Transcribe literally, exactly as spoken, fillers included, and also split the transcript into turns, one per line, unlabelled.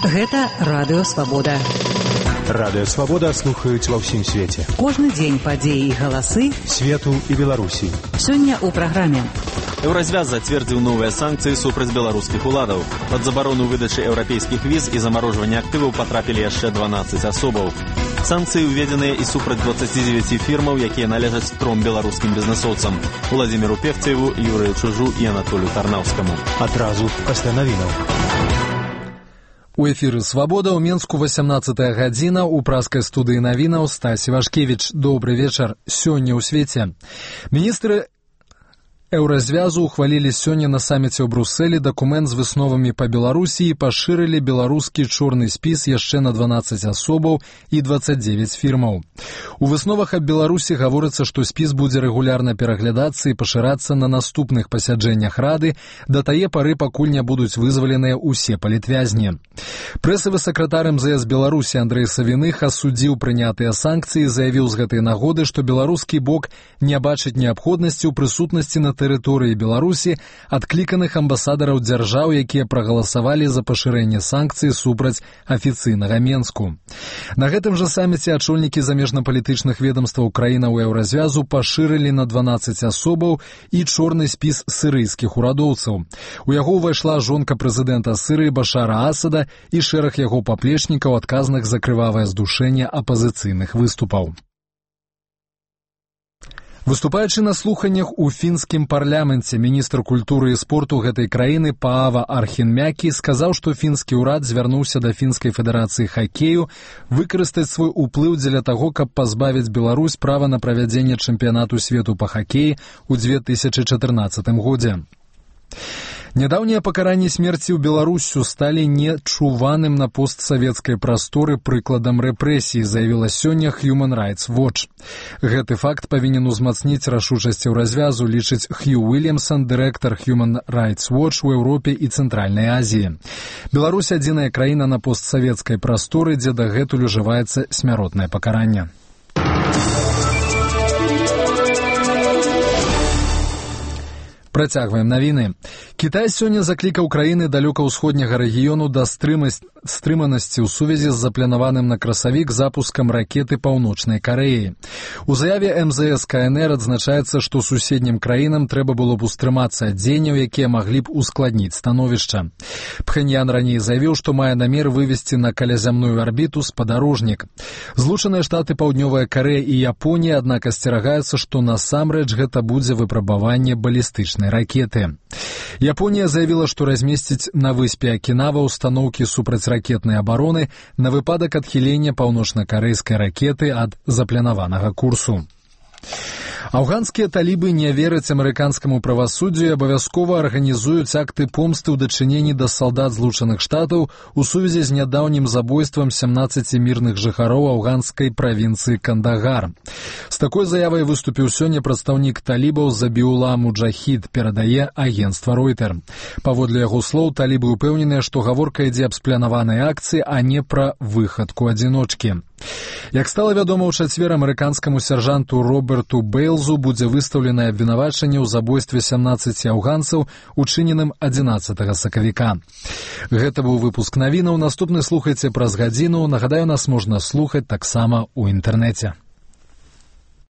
Гэта Радыё Свабода.
Радыё Свабода слухаюць ва ўсім свеце.
Кожны дзень падзеі і галасы
свету і Беларусі.
Сёння ў праграме.
Еўразвяз зацвердзіў новыя санкцыі супраць беларускіх уладаў. Пад забарону выдачы еўрапейскіх віз і замарожвання актываў потрапілі яшчэ дванаццаць асобаў. Санкцыі ўведзеныя і супраць дваццаці дзевяці фірмаў, якія належаць тром беларускім бізнесоўцам: Уладзіміру Певцееву, Юрыю Чужу і Анатолію Тарнаўскаму.
Адразу пасля навінаў.
У эфіры «Свабода» ў Менску васямнаццатая гадзіна, у праскай студыі навінаў Стась Івашкевіч. Добры вечар. Сёння ў свеце. Міністры Еўразвязу ухвалілі сёння на саміце ў Брусэлі дакумент з высновамі па Беларусі і пашырылі беларускі чорны спіс яшчэ на дванаццаць асобаў і дваццаць дзевяць фірмаў. У высновах аб Беларусі гаворыцца, што спіс будзе рэгулярна пераглядацца і пашырацца на наступных пасяджэннях Рады да тае пары, пакуль не будуць вызваленыя ўсе палітвязні. Прэсавы сакратар эм зэ эс Беларусі Андрэй Савіных асудзіў прынятыя санкцыі і заявіў з гэтай нагоды, што беларускі бок не бачыць неабходнасці ў прысутнасці на тэрыторыі Беларусі адкліканых амбасадараў дзяржаў, якія прагаласавалі за пашырэнне санкцый супраць афіцыйнага Менску. На гэтым жа саміце ачольнікі замежнапалітычных ведамстваў краінаў Еўразвязу пашырылі на дванаццаць асобаў і чорны спіс сірыйскіх урадоўцаў. У яго ўвайшла жонка прэзідэнта Сірыі Башара Асада і шэраг яго паплечнікаў, адказных за крывавае здушэнне апазіцыйных выступаў. Выступаючы на слуханнях у фінскім парламенце, міністр культуры і спорту гэтай краіны Паава Архінмякі сказаў, што фінскі ўрад звярнуўся да фінскай федэрацыі хакею выкарыстаць свой уплыў дзеля таго, каб пазбавіць Беларусь права на правядзенне чэмпіянату свету па хакеі ў дзве тысячы чатырнаццатым годзе. Нядаўнія пакаранні смерці ў Беларусю сталі нечуваным на постсавецкай прасторы прыкладам рэпрэсій, заявіла сёння Human Rights Watch. Гэты факт павінен узмацніць рашучасць Еўразвязу, лічыць Хью Уильямсон, дырэктар Human Rights Watch у Еўропе і Цэнтральнай Азіі. Беларусь адзіная краіна на постсавецкай прасторы, дзе дагэтуль ужываецца смяротнае пакаранне. Працягваем навіны. Кітай сёння заклікаў краіны далёка-ўсходняга рэгіёну да стрыманасці ў сувязі з запланаваным на красавік запускам ракеты Паўночнай Карэі. У заяве эм зэ эс ка эн эр адзначаецца, што суседнім краінам трэба было б устрымацца ад дзеянняў, якія маглі б ускладніць становішча. Пхэньян раней заявіў, што мае намер вывесці на калязямную арбіту спадарожнік. Злучаныя Штаты, Паўднёвая Карэя і Японія, аднак асцерагаюцца, што насамрэч гэта будзе выпрабаванне балістычнай ракеты. Японія заявіла, што размесціць на выспе Акінава устаноўкі супрацьракетнай абароны на выпадак адхілення паўночна-карэйскай ракеты ад запланаванага курсу. Афганскія талібы не вераць амерыканскаму правасуддзю і абавязкова арганізуюць акты помсты ў дачыненні да салдат Злучаных Штатаў у сувязі з нядаўнім забойствам сямнаццаці мірных жыхароў афганскай правінцыі Кандагар. З такой заявай выступіў сёння прадстаўнік талібаў Забіула Муджахід, перадае агенцтва Ройтер. Паводле яго слоў, талібы ўпэўненыя, што гаворка ідзе аб спланаванай акцыі, а не пра выхадку адзіночкі. Як стала вядома, ў чацвер амерыканскаму сяржанту Роберту Бэйлзу будзе выстаўленае абвінавачанне ў забойстве сямнаццаці афганцаў, учыненым адзінаццатага сакавіка. Гэта быў выпуск навінаў. Наступны слухайце праз гадзіну. Нагадаю, нас можна слухаць таксама ў інтэрнэце.